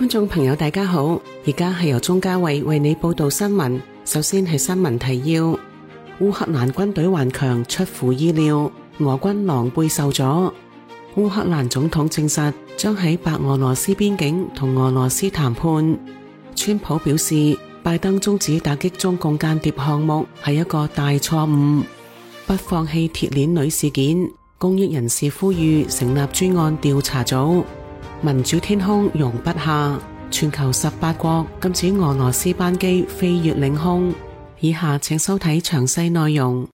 觀眾朋友大家好，而家係由鍾嘉慧為你報道新聞。首先係新聞提要：烏克蘭軍隊頑強出乎意料，俄軍狼狽受阻。烏克蘭總統證實將喺白俄羅斯邊境同俄羅斯談判。川普表示，拜登終止打擊中共間諜項目係一個大錯誤。不放棄鐵鏈女事件，公益人士呼籲成立專案調查組。民主天空容不下，全球18國禁止俄羅斯班機飛越領空。以下請收睇詳細內容。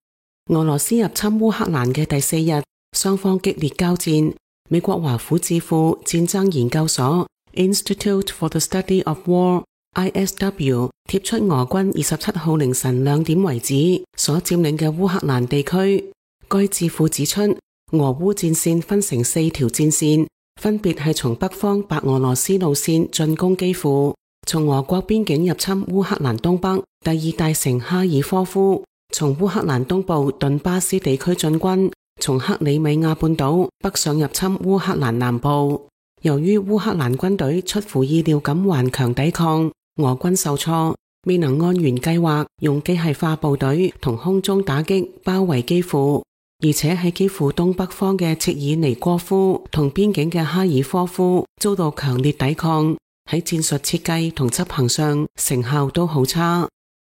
俄羅斯入侵烏克蘭嘅第4日，雙方激烈交戰。美國華府智庫戰爭研究所 Institute for the Study of War ISW 貼出俄軍27號凌晨2點為止所佔領嘅烏克蘭地區。該智庫指出，俄烏戰線分成4條戰線，分別係從北方白俄羅斯路線進攻基輔，從俄國邊境入侵烏克蘭東北第2大城哈爾科夫，從烏克蘭東部頓巴斯地區進軍，從克里米亞半島北上入侵烏克蘭南部。由於烏克蘭軍隊出乎意料咁頑強抵抗，俄軍受挫，未能按原計劃用機械化部隊同空中打擊包圍基輔。而且喺基輔東北方嘅切爾尼戈夫同邊境嘅哈爾科夫遭到強烈抵抗，喺戰術設計同執行上成效都好差。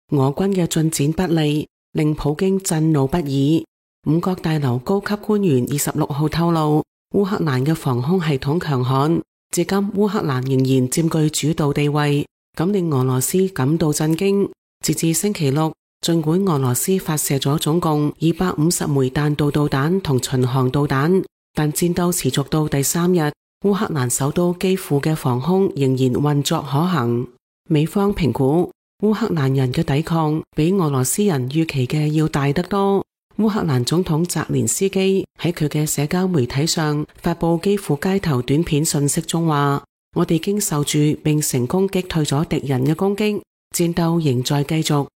俄軍嘅進展不利，令普京震怒不已。5角大樓高級官員26號透露，烏克蘭嘅防空系統強悍，至今烏克蘭仍然佔據主導地位，咁令俄羅斯感到震驚。截至星期六，儘管俄羅斯發射咗總共250枚彈道導彈同巡航導彈，但戰鬥持續到第3日，烏克蘭首都基輔嘅防空仍然運作可行。美方評估，烏克蘭人嘅抵抗比俄羅斯人預期嘅要大得多。烏克蘭總統澤連斯基喺佢嘅社交媒體上發佈基輔街頭短片信息中話：我哋經受住並成功擊退咗敵人嘅攻擊，戰鬥仍在繼續。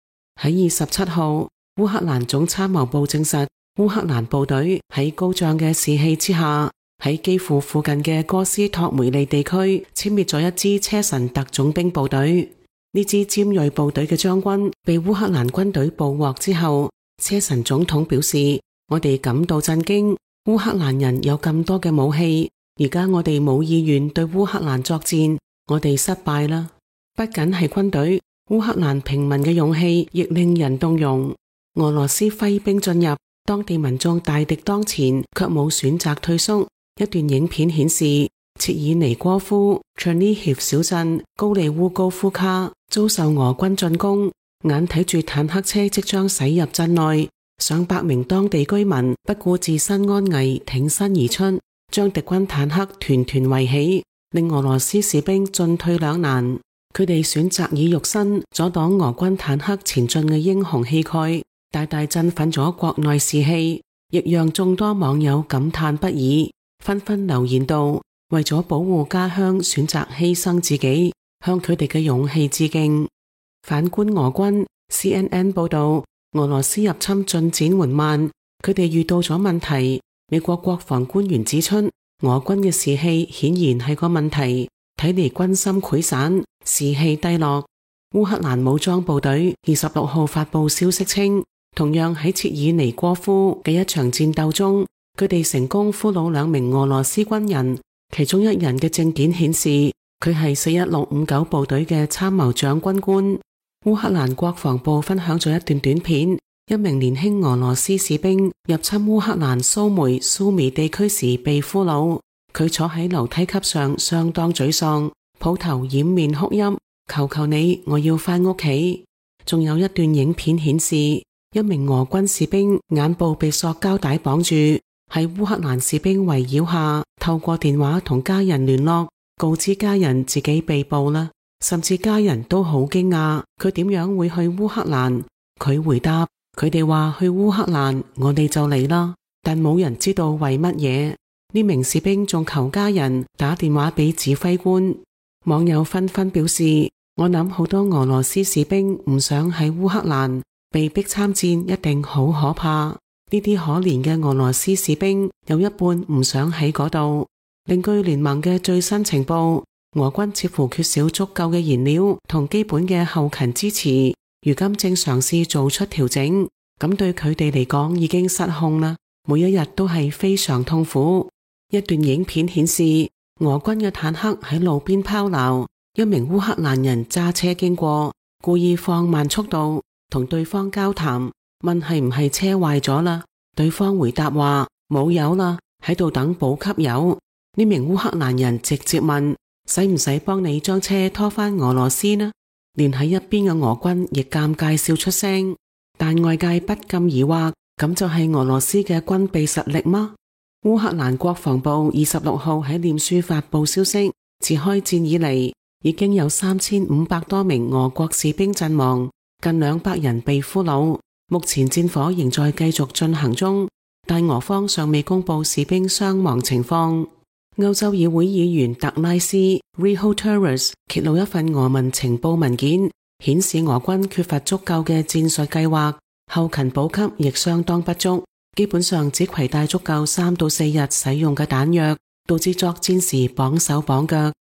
喺27號，烏克蘭總參謀部證實，烏克蘭部隊喺高漲嘅士氣之下，喺基輔附近嘅哥斯托梅利地區殲滅咗一支車臣特種兵部隊。呢支尖銳部隊嘅將軍被烏克蘭軍隊捕獲之後，車臣總統表示：我哋感到震驚，烏克蘭人有咁多嘅武器，而家我哋冇意願對烏克蘭作戰，我哋失敗啦。不僅係軍隊，烏克蘭平民嘅勇氣亦令人動容。俄羅斯揮兵進入，當地民眾大敵當前，卻冇選擇退縮。一段影片顯示，切爾尼戈夫、切爾尼協小鎮、高利烏高夫卡遭受俄軍進攻，眼睇住坦克車即將駛入鎮內，上百名當地居民不顧自身安危，挺身而出，將敵軍坦克團團圍起，令俄羅斯士兵進退兩難。佢哋選擇以肉身阻擋俄軍坦克前進嘅英雄氣概，大大振奮咗國內士氣，亦讓眾多網友感嘆不已，紛紛留言道：為咗保護家鄉，選擇犧牲自己，向佢哋嘅勇氣致敬。反觀俄軍 CNN 報道，俄羅斯入侵進展緩慢，佢哋遇到咗問題。美國國防官員指出，俄軍嘅士氣顯然係個問題，睇嚟軍心潰散，士氣低落。烏克蘭武裝部隊26號發佈消息稱，同樣喺切爾尼戈夫嘅一場戰鬥中，佢哋成功俘虜2名俄羅斯軍人，其中一人嘅證件顯示佢係41659部隊嘅參謀長軍官。烏克蘭國防部分享咗一段短片，一名年輕俄羅斯士兵入侵烏克蘭蘇米地區時被俘虜，佢坐喺樓梯級上相當沮喪，抱頭掩面哭泣，求求你，我要返屋企。仲有一段影片顯示，一名俄軍士兵眼部被塑膠帶綁住，喺烏克蘭士兵圍繞下，透過電話同家人聯絡，告知家人自己被捕啦。甚至家人都好驚訝，佢點樣會去烏克蘭？佢回答：佢哋話去烏克蘭，我哋就嚟啦，但冇人知道為乜嘢。呢名士兵仲求家人打電話俾指揮官。網友紛紛表示：我諗好多俄羅斯士兵唔想喺烏克蘭，被逼參戰一定好可怕。呢啲可憐嘅俄羅斯士兵有一半唔想喺嗰度。另據聯盟嘅最新情報，俄軍似乎缺少足夠嘅燃料同基本嘅後勤支持，如今正嘗試做出調整，咁對佢哋嚟講已經失控啦，每一日都係非常痛苦。一段影片顯示，俄軍嘅坦克喺路邊拋錨，一名烏克蘭人揸車經過，故意放慢速度同對方交談，問係唔係車壞咗啦。對方回答話冇油啦，喺度等補給油。呢名烏克蘭人直接問，使唔使幫你將車拖返俄羅斯呢？連喺一邊嘅俄軍亦尷尬笑出聲，但外界不禁疑惑，咁就係俄羅斯嘅軍備實力嗎？烏克蘭國防部26號喺臉書發佈消息，自開戰以嚟已經有3500多名俄國士兵陣亡，近200人被俘虜。目前戰火仍在繼續進行中，但俄方尚未公布士兵傷亡情況。歐洲議會議員特拉斯 Riho Torres 揭露一份俄文情報文件，顯示俄軍缺乏足夠嘅戰術計劃，後勤補給亦相當不足，基本上只攜帶足夠3到4日使用嘅彈藥，導致作戰時綁手綁腳。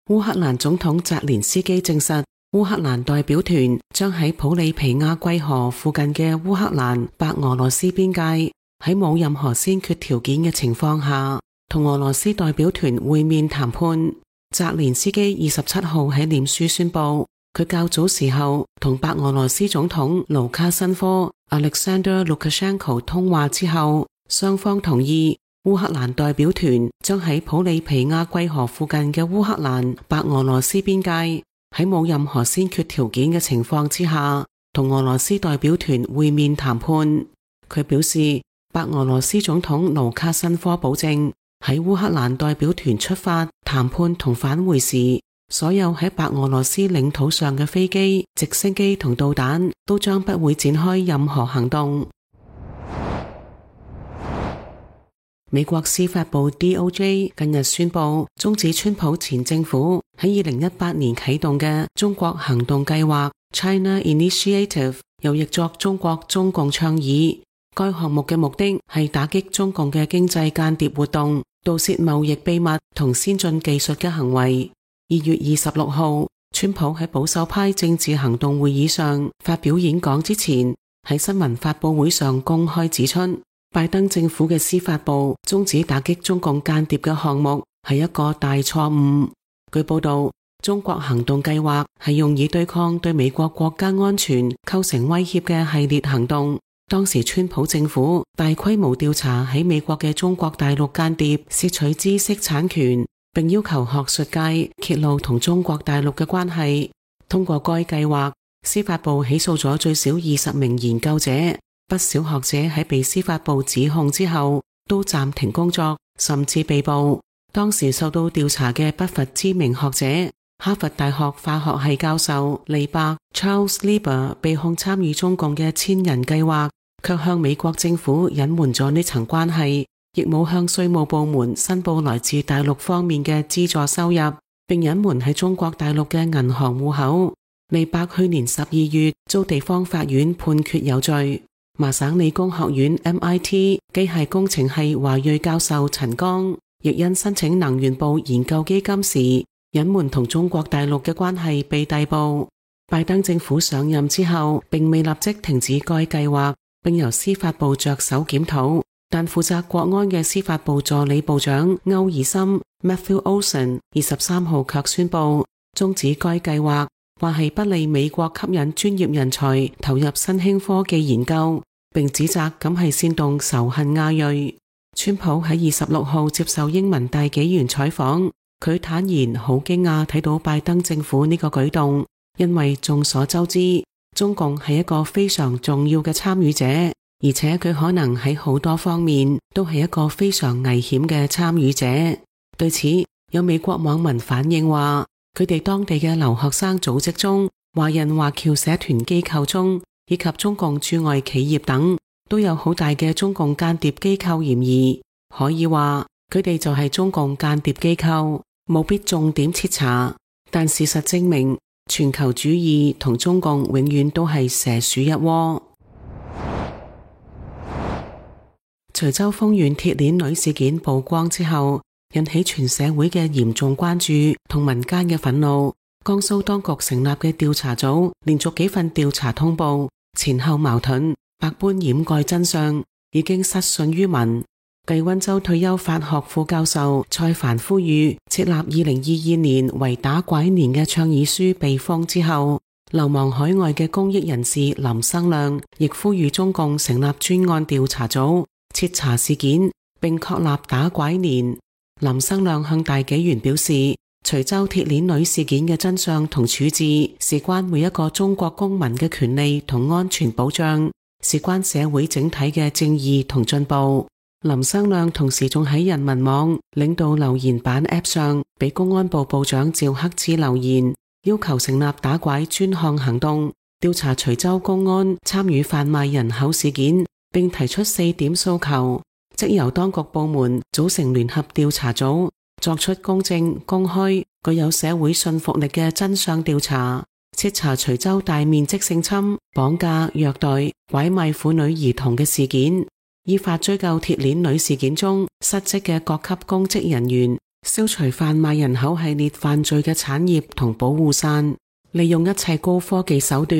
烏克蘭總統澤連斯基證實，烏克蘭代表團將喺普里皮亞季河附近嘅烏克蘭白俄羅斯邊界，喺冇任何先決條件嘅情況下，同俄羅斯代表團會面談判。澤連斯基27號喺臉書宣布，佢較早時候同白俄羅斯總統盧卡申科 Alexander Lukashenko 通話之後，雙方同意烏克蘭代表團將喺普里皮亞季河附近嘅烏克蘭白俄羅斯邊界，喺冇任何先決條件嘅情況之下，同俄羅斯代表團會面談判。佢表示，白俄羅斯總統盧卡申科保證，喺烏克蘭代表團出發、談判同返回時，所有喺白俄羅斯領土上嘅飛機、直升機同導彈都將不會展開任何行動。美國司法部 DOJ 近日宣布終止川普前政府喺2018年啟動嘅中國行動計劃 China Initiative， 又譯作中國中共倡議。該項目嘅目的係打擊中共嘅經濟間諜活動、盜竊貿易秘密同先進技術嘅行為。2月26號，川普喺保守派政治行動會議上發表演講之前，喺新聞發佈會上公開指出，拜登政府嘅司法部終止打擊中共間諜嘅項目係一個大錯誤。據報道，中國行動計劃係用以對抗對美國國家安全構成威脅嘅系列行動。當時川普政府大規模調查喺美國嘅中國大陸間諜竊取知識產權，並要求學術界揭露同中國大陸嘅關係。通過該計劃，司法部起訴咗最少20名研究者，不少學者喺被司法部指控之後都暫停工作，甚至被捕。當時受到調查嘅不乏知名學者，哈佛大學化學系教授利伯 Charles Lieber 被控參與中共嘅千人計劃，卻向美國政府隱瞞咗呢層關係，亦冇向稅務部門申報來自大陸方面嘅資助收入，並隱瞞喺中國大陸嘅銀行戶口。利伯去年12月遭地方法院判決有罪。麻省理工學院 MIT 機械工程系華裔教授陳剛亦因申請能源部研究基金時隱瞞同中國大陸嘅關係被逮捕。拜登政府上任之後並未立即停止該計劃，並由司法部着手檢討，但負責國安嘅司法部助理部長歐爾森 Matthew Olson 23號卻宣布終止該計劃，話係不利美國吸引專業人才投入新興科技研究，並指責咁係煽動仇恨亞裔。川普喺26號接受英文大紀元採訪，佢坦言好驚訝睇到拜登政府呢個舉動，因為眾所周知，中共係一個非常重要嘅參與者，而且佢可能喺好多方面都係一個非常危險嘅參與者。對此，有美國網民反映話，佢哋當地嘅留學生組織中、華人華僑社團機構中，以及中共駐外企業等，都有好大嘅中共間諜機構嫌疑。可以話，佢哋就係中共間諜機構，務必重點徹查。但事實證明，全球主義同中共永遠都係蛇鼠一窩。徐州豐縣鐵鏈女事件曝光之後，引起全社會嘅嚴重關注同民間嘅憤怒。江蘇當局成立嘅調查組連續幾份調查通報，前後矛盾，百般掩蓋真相，已經失信於民。繼溫州退休法學副教授蔡帆呼籲設立2022年為打拐年嘅倡議書被封之後，流亡海外嘅公益人士林生亮亦呼籲中共成立專案調查組，徹查事件並確立打拐年。林生亮向大紀元表示，徐州鐵鏈女事件嘅真相同處置事關每一個中國公民嘅權利同安全保障，事關社會整體嘅正義同進步。林生亮同時仲喺人民網領導留言板 App 上俾公安部部長趙克志留言，要求成立打拐專項行動，調查徐州公安參與販賣人口事件，並提出4點訴求，即由當局部門組成聯合調查組，作出公正、公開、具有社會信服力嘅真相調查，徹查徐州大面積性侵、綁架、虐待、拐賣婦女兒童嘅事件，依法追究鐵鏈女事件中失職嘅各級公職人員，消除販賣人口系列犯罪嘅產業同保護傘，利用一切高科技手段，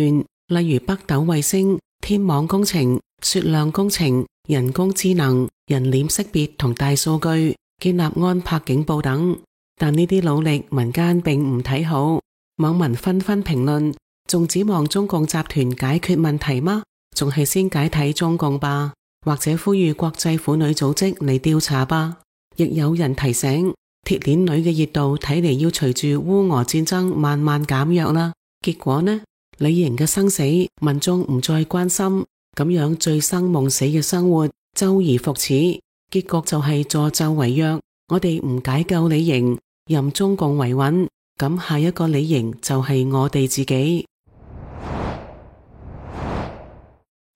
例如北斗衛星、天網工程、雪量工程、人工智能、人臉識別同大數據，建立安柏警報等。但呢啲努力民間並唔睇好，網民紛紛評論，仲指望中共集團解決問題嗎？仲係先解體中共吧，或者呼籲國際婦女組織嚟調查吧。亦有人提醒，鐵鏈女嘅熱度睇嚟要隨住烏俄戰爭慢慢減弱啦。結果呢，李瑩嘅生死民眾唔再關心，咁樣醉生夢死嘅生活周而復始，結局就係助紂為虐。我哋唔解救李瑩，任中共維穩，咁下一個李瑩就係我哋自己。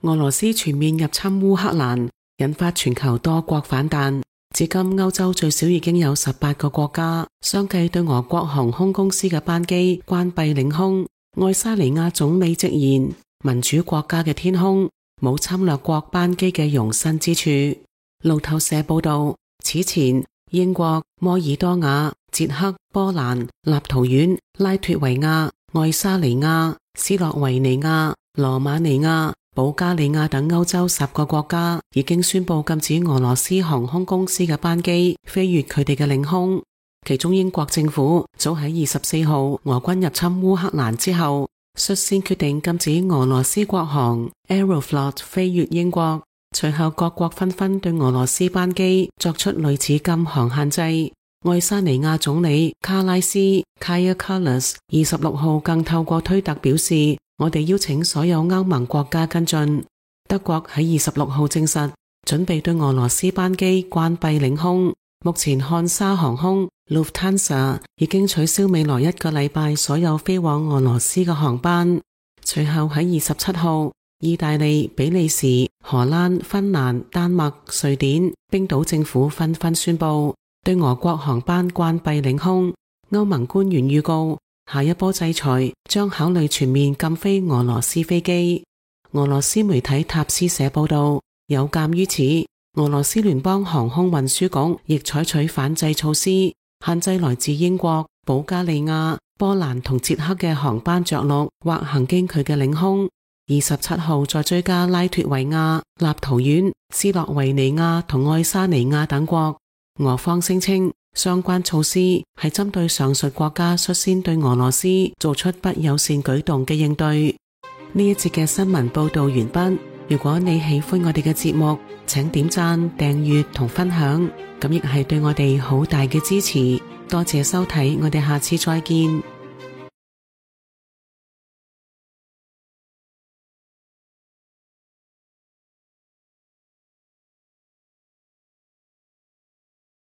俄羅斯全面入侵烏克蘭，引發全球多國反彈。至今歐洲最少已經有18個國家相繼對俄國航空公司嘅班機關閉領空。愛沙尼亞總理直言，民主國家嘅天空冇侵略國班機嘅容身之處。路透社報道，此前英國、摩爾多瓦、捷克、波蘭、立陶宛、拉脫維亞、愛沙尼亞、斯洛維尼亞、羅馬尼亞、保加利亞等歐洲10個國家已經宣布禁止俄羅斯航空公司嘅班機飛越佢哋嘅領空。其中英國政府早喺24號俄軍入侵烏克蘭之後，率先決定禁止俄羅斯國航 Aeroflot 飛越英國。隨後各國紛紛對俄羅斯班機作出類似禁航限制。愛沙尼亞總理卡拉斯 Kaja Kallas 26號更透過推特表示，我哋邀請所有歐盟國家跟進。德國喺26號證實，準備對俄羅斯班機關閉領空。目前漢莎航空 Lufthansa 已經取消未來1個禮拜所有飛往俄羅斯嘅航班。隨後喺27號，意大利、比利時、荷蘭、芬蘭、丹麥、瑞典、冰島政府紛紛宣布對俄國航班關閉領空。歐盟官員預告，下一波制裁將考慮全面禁飛俄羅斯飛機。俄羅斯媒體塔斯社報道，有鑒於此，俄羅斯聯邦航空運輸局亦採取反制措施，限制來自英國、保加利亞、波蘭同捷克嘅航班着陸或行經佢嘅領空。27號再追加拉脫維亞、立陶宛、斯洛維尼亞同愛沙尼亞等國。俄方聲稱，相關措施係針對上述國家率先對俄羅斯做出不友善舉動嘅應對。呢一節嘅新聞報道完畢。如果你喜歡我哋嘅節目，請點讚、訂閱同分享，咁亦係對我哋好大嘅支持。多謝收睇，我哋下次再見。